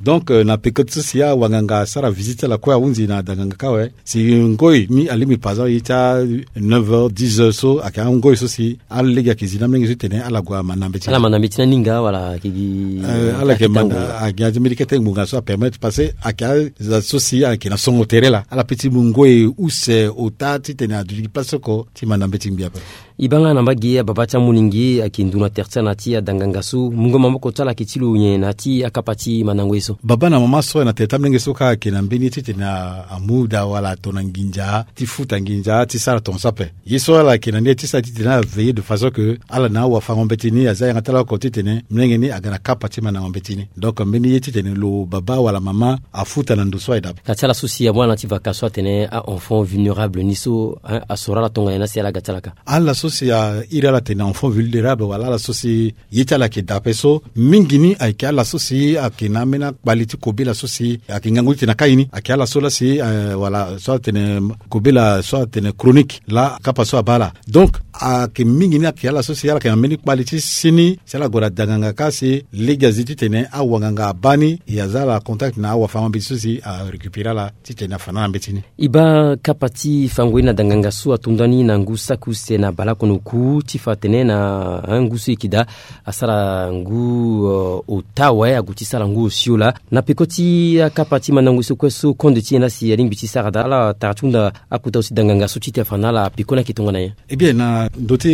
Donc na peko ti so si awanganga asara visite ti ala kue ahunzi na danganga kâ awe si ngoi ni alingbi par exemple ye ti a neuf heures dix heures so ayeke angoi so si alege ayeke zi na amolenge so titene ala gue ama na mbeti ala ma na mbeti ni aninga wala ayeke gi ala yeke ma na agi azi mbeni kete ngbonga so apermettre parce que ayeke aza so si ayeke na songo tere laa ala pe ti mu ngoi use ota titene aduti gi place oko ti ma na mbeti ngbi ape. E baa nga na mbage ababa ti amolenge ayeke ndu na tere ti ala na ya ti adanganga so mungo maboko ti ala ayeke ti lo nyen na ya ti akapa ti mandango ye so? Baba na mama so na tere ti amolenge so kâ ayeke na mbeni ye titene amu daa wala atona nginza ti futa nginza ti sara tongaso ape. Ye so ala yeke na ni ye ti sara titene ala veiller de façon que ala na awafango-mbeti ni aza yanga ti ala oko titene molenge ni aga na kapa ti mandango-mbeti ni. Donc mbeni ye titene lo baba wala mama afuta na ndo so aye daa. Na ti ala so si amu ala na ya ti vacances so atene a-enfant vulnérable ni so asoro ala tongana nyen na si ala ga ti ala kâ? Ala so si airi ala atene enfant vulnérable wala ala so si ye ti ala ayeke daa ape so mingi ni ayeke ala so si ayeke na ambeni akpali ti kobela so si ayeke ngangu ti tene akai ni ayeke ala so laa si wala so atene kobela so atene chronique laa kapa so abaa ala. Donc ayeke mingi ni ayeke ala so si ala yeke na mbeni kpali ti si ni si ala gue na danganga kâ si lege azi titene awanganga abaa ni e aza ala contact na awafango-mbeti so si arécupérer ala titene afa na ala mbeti ni. E baa kapa ti fango ye na danganga so atonda ni na ngu saki use na baleoko na oku ti fa atene na ngu so e yeke daa asara ngu ota awe ague ti sara ngu osio laa. Na peko ti akapa ti mandango ye so kue so konde ti nyen na si alingbi ti sara daa ala tara ti hunda akota zo ti danganga so titene afa na ala peko ni ayeke tongana nyen? Eh bien na ndö ti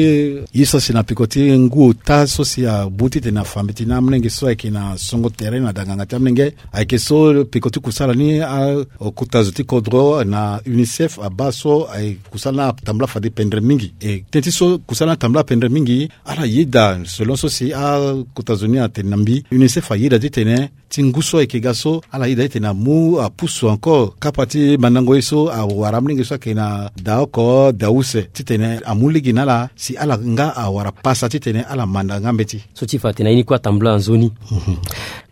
ye so asi na peko ti ngu ota so si amu titene afa mbeti na amolenge so ayeke na songo tere na danganga ti amolenge ayeke so peko ti kusala ni akota zo ti kodro na unicef abaa so aye kusala ni atambula fade pendere mingi e tënë ti so kusala ni atambula pendere mingi ala yeda selon so si akota zo ni atene na mbi unicef ayeda titene ti ngu so ayeke ga so ala yeda titene amu apusu encore kapa ti mandango ye so awara amolenge so ayeke na da oko da use titene amu lege na ala si ala nga awara pasa titene ala manda nga mbeti. So ti fa atene na ye ni kue atambula nzoni.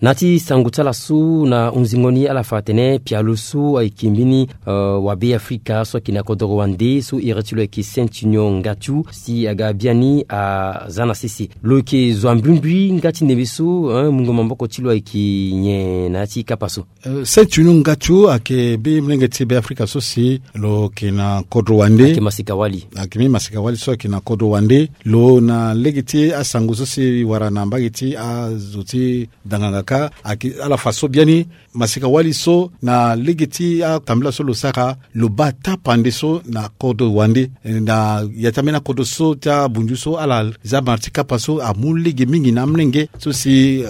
Na ya ti sango ti ala so na hunzingo ni ala fa atene pialo so ayeke mbeni wabe afrika so ayeke na kodoro wande so iri ti lo ayeke saint union ngatu si aga biani aza na sese lo yeke zo ambrimbri nga ti ndembe so mungo maboko ti lo ayeke nyen na ya ti kapa so? Saint union ngatu ayeke mbeni molenge ti be afrika so si lo yeke na kodro wande ayeke masika wali ayeke mbeni masika wali so ayeke na kodro wande lo na lege ti asango so si wara na mbage ti azo ti danganga kâ ayeke ala fa so biani masika wali so na lege ti atambula so lo sara lo baa tapande so na kodro wande na ya ti ambeni akodro so ti abunzu so ala za mara ti kapa so amu lege mingi na amolenge so si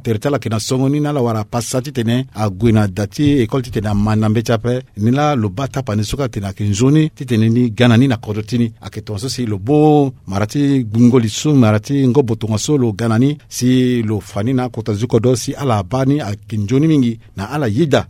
tere ti ala yeke na songo ni na ala wara pasa titene ague na da ti école titene ama na mbeti ape. Ni laa lo baa tapande so kâ atene ayeke nzoni titene ni ga na ni na kodro ti ni ayeke tongaso si lo mu mara ti gbungo li so mara ti ngobo tongaso lo ga na ni si lo fa ni na akota zo ti kodro si ala baa ni ayeke nzoni mingi. Na ala yeda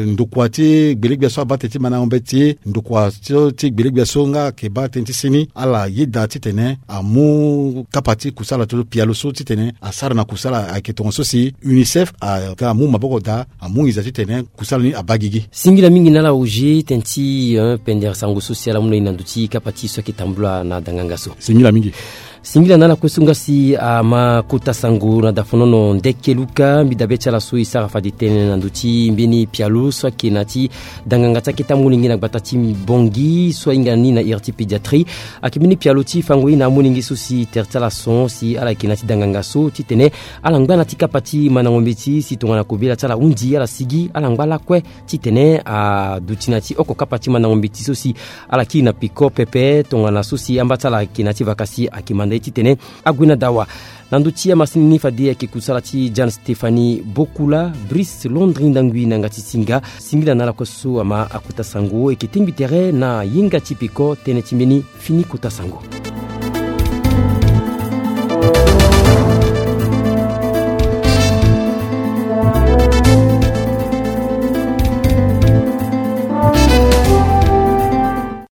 ndokua ti gbelegbia so abaa tene ti mandango mbeti ndokua so ti gbelegbia so nga ayeke baa tënë ti si ni ala yeda titene amu kapa ti kusala to pialo so titene asara na kusala ayeke tongaso si unicef aga amu maboko daa amu nginza titene kusala ni abaa gigi. Singila mingi na ala oge tënë ti pendere sango so si ala mu na e na ndö ti kapa ti e so ayeke tambula na danganga so. Singila mingi. Singila na ala kue so nga si ama kota sango na dafonono ndeke luka mbi dabe ti ala so e sara fade tënë na ndö ti mbeni pialo so ayeke na ya ti danganga ti akete amolenge na gbata ti Bangui so ahinga ni na iri ti pédiatrie. Ayeke mbeni pialo ti fango ye na amolenge so si tere ti ala son si ala yeke na ya ti danganga so titene ala ngba na ya ti kapa ti mandango mbeti si tongana kobela ti ala hundi ala sigi ala ngba lakue titene aduti na ya ti oko kapa ti mandango mbeti so si ala kiri na peko pepe tongana so si amba ti ala ayeke na ya ti vaka si ayeke manda ye titene ague na dawa. Na ndö ti amasini ni fade ayeke kusala ti Jeanne Stéphanie Bokula, Brice Londri Ndangui na yanga ti singa. Singila na ala kue so ama akota sango, e yeke tengbi tere na yenga ti peko tënë ti mbeni fini kota sango.